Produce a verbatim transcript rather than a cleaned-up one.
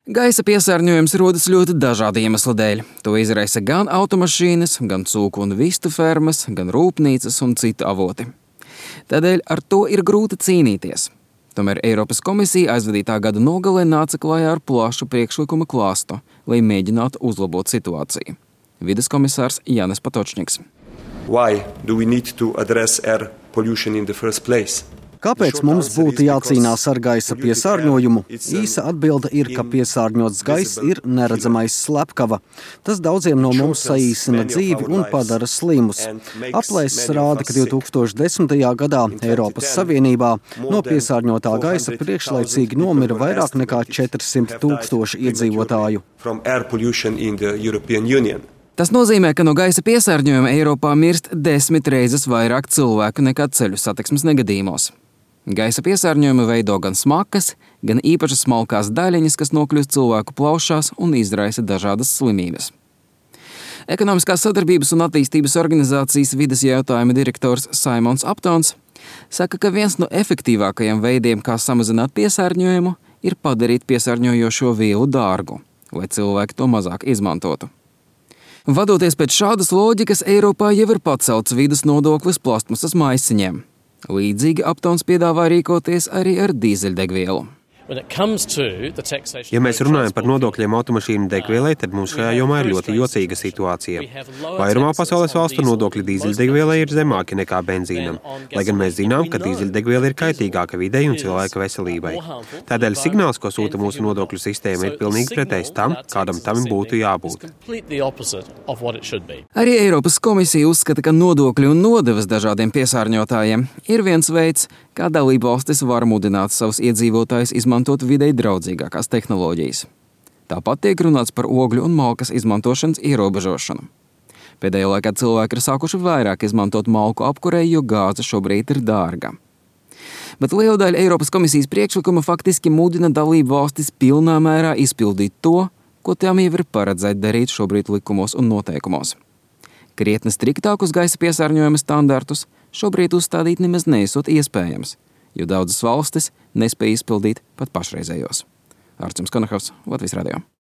Gaisa piesārņojums rodas ļoti dažādu iemeslu dēļ. To izraisa gan automašīnas, gan cūku un vistu fermas, gan rūpnīcas un citu avoti. Tādēļ ar to ir grūti cīnīties. Tomēr Eiropas komisija aizvadītā gada nogalē nāca klajā ar plašu priekšlikuma klāstu, lai mēģinātu uzlabot situāciju. Vides komisārs Jānis Patočņiks. Why do we need to address air pollution in the first place? Kāpēc mums būtu jācīnās ar gaisa piesārņojumu? Īsa atbilde ir, ka piesārņots gaiss ir neredzamais slepkava. Tas daudziem no mums saīsina dzīvi un padara slimus. Aplēses rāda, ka divtūkstoš desmitajā gadā Eiropas Savienībā no piesārņotā gaisa priekšlaicīgi nomira vairāk nekā četrsimt tūkstoši iedzīvotāju. Tas nozīmē, ka no gaisa piesārņojuma Eiropā mirst desmit reizes vairāk cilvēku nekā ceļu satiksmes negadījumos. Gaisa piesārņojumu veido gan smakas, gan īpašas smalkās daļiņas, kas nokļūst cilvēku plaušās un izraisa dažādas slimības. Ekonomiskās sadarbības un attīstības organizācijas vides jautājumu direktors Simons Uptons saka, ka viens no efektīvākajiem veidiem, kā samazināt piesārņojumu, ir padarīt piesārņojošo vielu dārgu, lai cilvēki to mazāk izmantotu. Vadoties pēc šādas loģikas, Eiropā jau ir pacelts vides nodoklis plastmasas maisiņiem. Līdzīgi Uptons piedāvā rīkoties arī ar dīzeļdegvielu. Ja mēs runājam par nodokļiem automašīnu degvielai, tad mums šajā jomā ir ļoti jocīga situācija. Vairumā pasaules valstu nodokļi dīzeļdegvielai ir zemāki nekā benzīnam, lai gan mēs zinām, ka dīzeļdegviela ir kaitīgāka videi un cilvēka veselībai. Tādēļ signāls, ko sūta mūsu nodokļu sistēma, ir pilnīgi pretējs tam, kādam tam būtu jābūt. Arī Eiropas komisija uzskata, ka nodokļi un nodevas dažādiem piesārņotājiem ir viens veids, kā dalībvalstis var mudināt savus iedzīvotājus izmantot videi draudzīgākās tehnoloģijas. Tāpat tiek runāts par ogļu un malkas izmantošanas ierobežošanu. Pēdējā laikā cilvēki ir sākuši vairāk izmantot malku apkurei, jo gāze šobrīd ir dārga. Bet liela daļa Eiropas komisijas priekšlikuma faktiski mudina dalību valstis pilnā mērā izpildīt to, ko tām jau ir paredzēt darīt šobrīd likumos un noteikumos. Krietni striktākus gaisa piesārņojuma standartus šobrīd uzstādīt nemaz neesot iespējams, jo daudzas valstis nespēja izpildīt pat pašreizējos. Arčuns Konahavs, Latvijas radio.